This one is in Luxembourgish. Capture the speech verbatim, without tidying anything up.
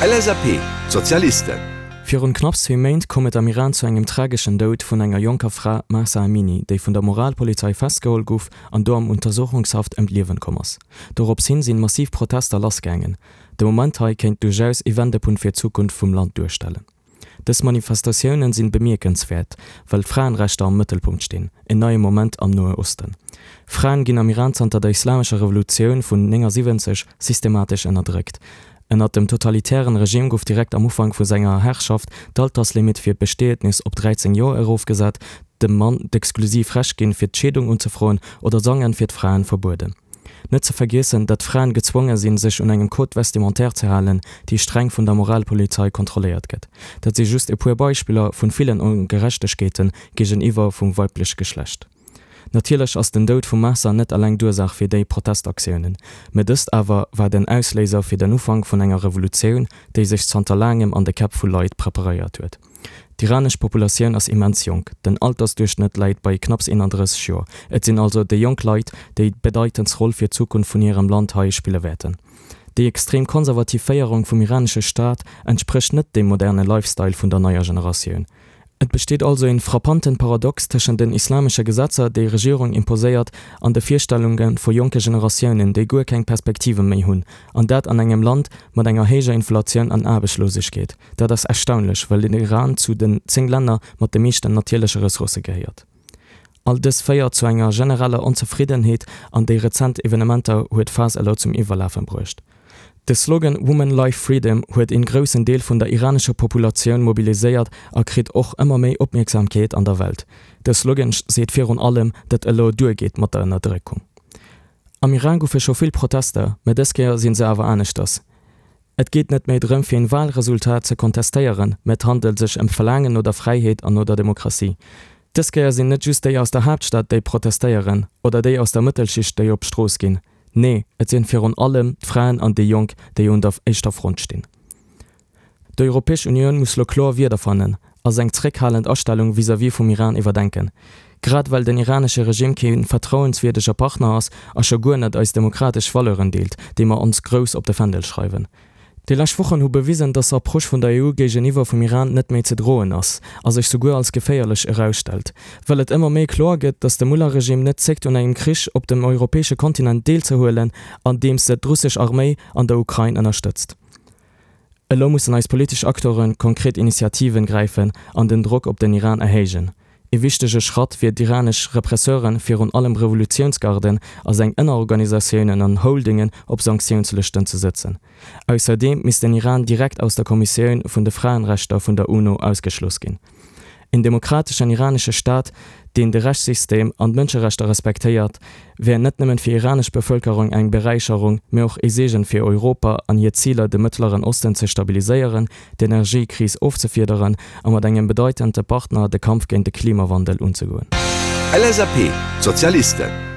L S A P, D'Sozialisten. Virun knapps zwee Méint koum et am Iran zu engem trageschen Doud vun enger jonker Fra, Mahsa Amini, déi vun der Moralpolizei festgeholl gouf an do am Untersuchungshaft ëm d'Liewen komm ass. Dorops hin sinn massiv Protester lassgaangen. De Moment hei kéint duerchaus ee Wendepunkt fir d'Zukunft vum Land duerstellen. Dës Manifestatiounen sinn bemierkenswäert, well d'Fraenrechter am Mëttelpunkt stinn, en neie Moment am Noe Osten. Fraen ginn am Iran zanter der islamescher Revolutioun vun néngasiwwenzeg systematesch ënnerdréckt. Ënnert dem totalitären Regime gouf direkt am Ufank vu senger Herrschaft d'Alterslimit fir d'Bestietnis op dräizéng Joer erofgesat, dem Mann d'exklusiv Recht ginn, fir d'Scheedung unzefroen, oder Sangen fir d'Fraen verbueden. Net ze vergiessen, datt Fraen gezwonge sinn, sech un engem Code vestimentaire ze halen, déi streng vun der Moralpolizei kontrolléiert gëtt. Dat si just e puer Beispiller vun villen Ongerechtegkeeten géigeniwwer vum weibleche Geschlecht. Natierlech ass den Doud vum Mahsa net eleng d'Ursaach fir déi Protestaktiounen, mä dëst awer war den Ausléiser fir den Ufank vun enger Revolutioun, déi sech zanter laangem an de Käpp vu Leit preparéiert huet. D'iranesch Populatioun ass immens jonk, den Altersduerchschnëtt läit bei knapps eenandrësseg Joer. Et sinn also déi jonk Leit, déi d'bedeitendst Roll fir d'Zukunft vun hirem Land hei spille wäerten. Déi extrem konservativ Féierung vum iranesche Staat entsprécht net dem moderne Lifestyle vun der neier Generatioun. Et besteet also een frappanten Paradox tëschent den islamesche Gesetzer, déi Regierung imposéiert, an de Virstellunge vu jonke Generatiounen, déi guer keng Perspektive méi hunn, an dat an engem Land mat enger héijer Inflatioun an Aarbechtslosegkeet. Dat ass erstaunlech, well den Iran zu den zéng Länner mat de meeschten natierleche Ressourcë gehéiert. All dëst féiert zu enger genereller Onzefriddenheet an déi rezent Evenementer huet d'Faass elo zum Iwwerlafe bruecht. De Slogan Woman Life Freedom huet een groussen Deel vun der iranescher Populatioun mobiliséiert a kritt och ëmmer méi Opmierksamkeet an der Welt. De Slogan seet virun allem, datt elo duergeet mat der Ënnerdréckung. Am Iran goufe scho vill Protester, mä dës Kéier sinn se awer aneschters. Et geet net méi drëm fir een Walresultat ze kontestéieren, mä et handelt sech ëm d'Verlaangen no der Fräiheet an no der Demokratie. Dës Kéier sinn net just déi aus der Haaptstad déi protestéieren, oder déi aus der Mëttelschicht déi op d'Strooss ginn. Nee, et sinn virun allem d'Fraen an déi Jonk, déi un der éischter Front stinn. D'Europäesch Unioun muss lo kloer Wierder fannen a seng zréckhalend Astellung vis-à-vis vum Iran iwwerdenken. Grad well den iranesche Regime kee vertrauenswierdege Partner ass a scho guer net eis demokratesch Valeuren deelt, déi mer ons grouss op de Fändel schreiwen. Déi lescht Wochen hu bewisen, dass Approche vun der E U géigeniwwer vum Iran net méi ze droen ass a sech souguer als geféierlech erausstellt. Well et ëmmer méi kloer gëtt, dass de Mullah-Regime net zéckt un engem Krich op dem europäesche Kontinent deelzehuelen, andeems se d'russesch Arméi an der Ukrain ënnerstëtzt. Elo mussen eis politesch Acteure konkret Initiativen gräifen an den Drock op den Iran erhéijen. E wichtege Schratt wier d'iranesch Represseuren, virun allem Revolutiounsgarden a seng Ënnerorganisatiounen an Holdingen op Sanktiounslëschten ze setzen. Ausserdeem misst den Iran direkt aus der Kommissioun vun de Fraenrechter vun der UNO ausgeschloss ginn. En demokrateschen iranesche Staat, deen de Rechtssystem an d'Mënscherechter respektéiert, wär net nëmmen fir iranesch Bevëlkerung eng Beräicherung, mä och e Seegen fir Europa an hir Ziler, de Mëttleren Osten ze stabiliséieren, d'Energiekris ofzefiederen a mat engem bedeitende Partner de Kampf géint de Klimawandel unzegoen. L S A P, D'Sozialisten.